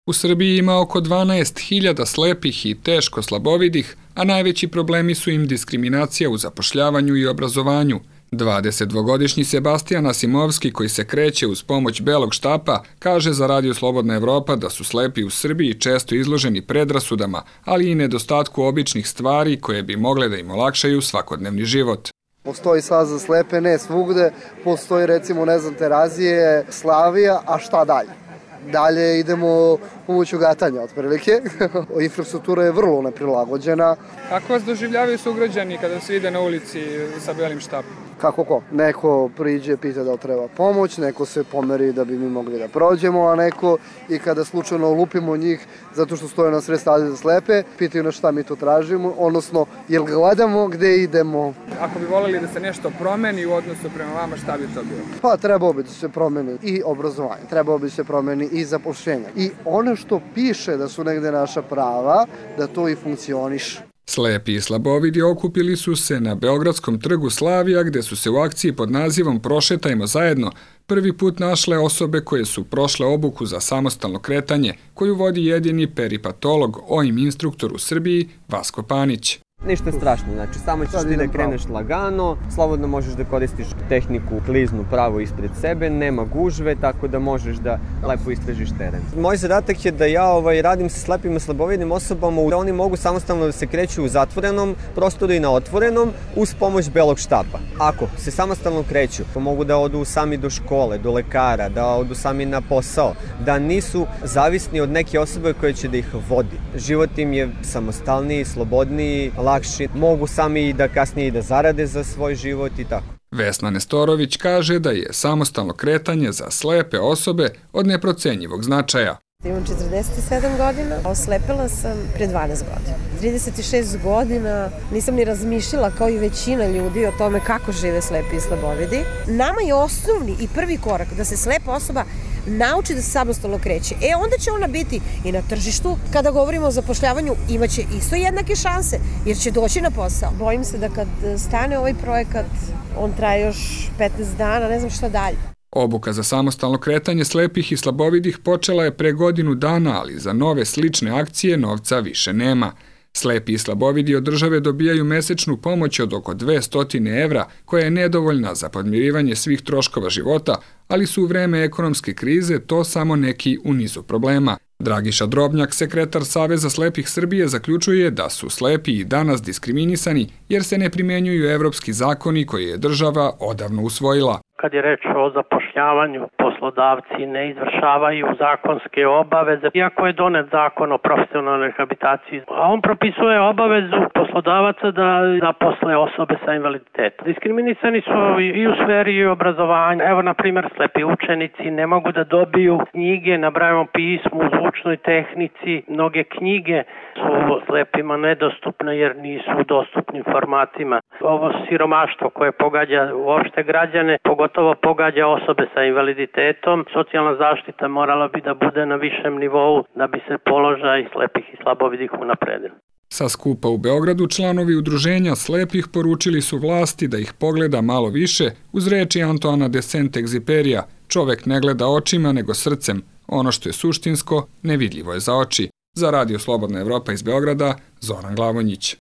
U Srbiji ima oko 12.000 slepih i teško slabovidih, a najveći problemi su im diskriminacija u zapošljavanju i obrazovanju. 22-godišnji Sebastijan Asimovski, koji se kreće uz pomoć belog štapa, kaže za Radio Slobodna Evropa da su slepi u Srbiji često izloženi predrasudama, ali i nedostatku običnih stvari koje bi mogle da im olakšaju svakodnevni život. Postoji saz za slepe, ne svugde, postoji recimo, Terazije, Slavija, a šta dalje? Dalje idemo pomoću gatanja, otprilike. Infrastruktura je vrlo neprilagođena. Kako vas doživljavaju sugrađani kada se ide na ulici sa belim štapom? Kako ko? Neko priđe, pita da li treba pomoć, neko se pomeri da bi mi mogli da prođemo, a neko i kada slučajno lupimo njih zato što stoje na sred staze za slepe, pitaju nas šta mi to tražimo, odnosno jel gledamo gde idemo. Ako bi voljeli da se nešto promeni u odnosu prema vama, šta bi to bilo? Pa trebao bi da se promeni i obrazovanje, trebao bi da se promeni i zapošljenje. I ono što piše da su negde naša prava, da to i funkcioniše. Slepi i slabovidi okupili su se na Beogradskom trgu Slavija, gde su se u akciji pod nazivom Prošetajmo zajedno prvi put našle osobe koje su prošle obuku za samostalno kretanje, koju vodi jedini peripatolog, OIM instruktor u Srbiji, Vasko Panić. Ništa strašno, znači samo ćeš ti da kreneš lagano, slobodno možeš da koristiš tehniku kliznu pravo ispred sebe, nema gužve, tako da možeš da lepo istražiš teren. Moj zadatak je da ja radim sa slepim i slabovidnim osobama, da oni mogu samostalno da se kreću u zatvorenom prostoru i na otvorenom uz pomoć belog štapa. Ako se samostalno kreću, mogu da odu sami do škole, do lekara, da odu sami na posao, da nisu zavisni od neke osobe koja će da ih vodi. Život im je samostalniji, slobodniji, lakši, mogu sami da kasnije i da zarade za svoj život i tako. Vesna Nestorović kaže da je samostalno kretanje za slepe osobe od neprocenjivog značaja. Imam 47 godina, oslepela sam pre 12 godina. 36 godina nisam ni razmišljala kao i većina ljudi o tome kako žive slepi i slabovidi. Nama je osnovni i prvi korak da se slepa osoba nauči da se samostalno kreće. Onda će ona biti i na tržištu. Kada govorimo o zapošljavanju, imaće isto jednake šanse, jer će doći na posao. Bojim se da kad stane ovaj projekat, on traje još 15 dana, ne znam šta dalje. Obuka za samostalno kretanje slepih i slabovidih počela je pre godinu dana, ali za nove slične akcije novca više nema. Slepi i slabovidi od države dobijaju mesečnu pomoć od oko 200 evra, koja je nedovoljna za podmirivanje svih troškova života, ali su u vreme ekonomske krize to samo neki u nizu problema. Dragiša Drobnjak, sekretar Saveza slepih Srbije, zaključuje da su slepi i danas diskriminisani jer se ne primenjuju evropski zakoni koje je država odavno usvojila. Kad je reč o zapošljavanju, poslodavci ne izvršavaju zakonske obaveze, iako je donet zakon o profesionalnoj rehabilitaciji, a on propisuje obavezu poslodavaca da zaposle osobe sa invaliditetom. Diskriminisani su i u sferi obrazovanja. Evo, na primjer, slepi učenici ne mogu da dobiju knjige na Brailleovom pismu, u zvučnoj tehnici. Mnoge knjige su slepima nedostupne jer nisu u dostupnim formatima. Ovo siromaštvo koje pogađa uopšte građane, pogotovo pogađa osobe sa invaliditetom. Socijalna zaštita morala bi da bude na višem nivou da bi se položaj slepih i slabovidih unapredio. Sa skupa u Beogradu članovi udruženja slepih poručili su vlasti da ih pogleda malo više uz reči Antoana de Saint-Exupéryja: čovek ne gleda očima nego srcem, ono što je suštinsko nevidljivo je za oči. Za Radio Slobodna Evropa iz Beograda, Zoran Glavonjić.